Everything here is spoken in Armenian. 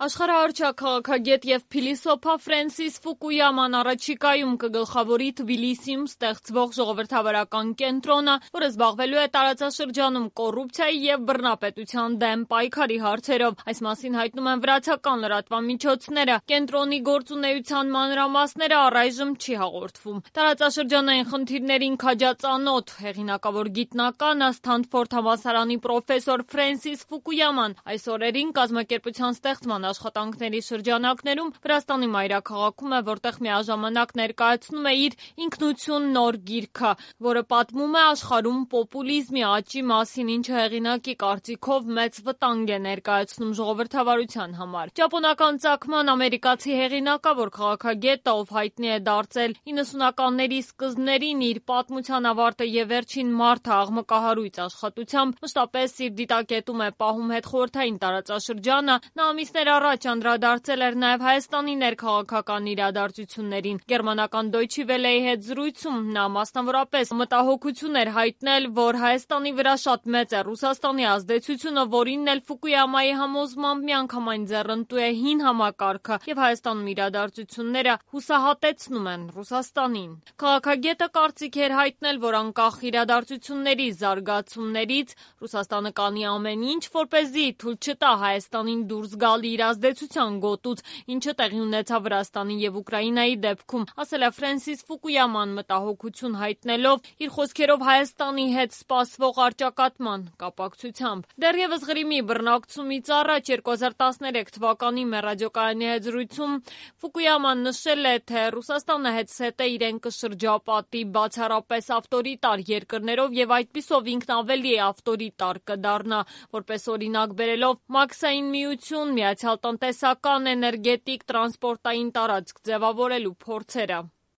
Աշխարհահռչակ քաղաքագետ եւ փիլիսոփա Ֆրենսիս Ֆուկույաման առաջիկայում կգլխավորի Թբիլիսիում ստեղծվող ժողովրդավարական կենտրոնը, որը զբաղվելու է տարածաշրջանում կոռուպցիայի եւ բռնապետության դեմ պայքարի հարցերով։ Այս մասին հայտնում են վրացական լրատվամիջոցները։ Կենտրոնի գործունեության մանրամասները առայժմ չի հաղորդվում։ Տարածաշրջանային խնդիրներին քաջածանոթ հեղինակավոր գիտնականը Սթանֆորդ համալսարանի պրոֆեսոր Ֆրենսիս Ֆուկույաման այս օրերին կազմակերպության ստեղծման աշխատանքների շրջանակներում Վրաստանի մայրաքաղաքում է, որտեղ միաժամանակ ներկայացնում է իր «Ինքնություն» նոր գիրքը, որը պատմում է աշխարհում պոպուլիզմի աճի մասին, ինչը հեղինակի կարծիքով մեծ վտանգ է ներկայացնում ժողովրդավարության համար։ Ճապոնական ծագման ամերիկացի հեղինակավոր քաղաքագետը, ով հայտնի է դարձել 90-ականների սկզբներին իր «Պատմության ավարտը եւ վերջին մարդը» աղմկահարույց աշխատությամբ, մշտապես իր դիտակետում է պահում հետխորհրդային տարածաշրջանը, նա ամիսներ առաջ անդրադարձել էր նաև Հայաստանի ներքաղաքական իրադարձություններին։ Գերմանական Deutsche Welle-ի հետ զրույցում նա մասնավորապես մտահոգություն էր հայտնել, որ Հայաստանի վրա շատ մեծ է Ռուսաստանի ազդեցությունը, որին էլ Ֆուկույամայի համոզմամբ միանգամայն ձեռնտու է հին համակարգը եւ Հայաստանում իրադարձությունները հուսահատեցնում են Ռուսաստանին։ Քաղաքագետը կարծիք էր հայտնել, որ անկախ իրադարձությունների զարգացումներից Ռուսաստանը կանի ամեն ինչ, որպեսզի թույլ չտա Հայաստանին դուրս գալ իր ազդեցության գոտուց, ինչը տեղի ունեցավ Վրաստանի եւ Ուկրաինայի դեպքում, ասել է Ֆրենսիս Ֆուկույաման մտահոգություն հայտնելով իր խոսքերով Հայաստանի հետ սպասվող առճակատման կապակցությամբ։ Դեռևս Ղրիմի բռնակցումից առաջ 2013 թվականի մեռադիոկայանի հետ զրույցում Ֆուկույաման նշել է, թե Ռուսաստանը հետսհետե իրեն կշրջապատի բացառապես ավտորիտար երկրներով եւ այդպիսով ինքն ավելի ավտորիտար կդառնա, որպես օրինակ բերելով Մաքսային միություն, Միացյալ տնտեսական, էներգետիկ, տրանսպորտային տարածք ձևավորելու փորձերը։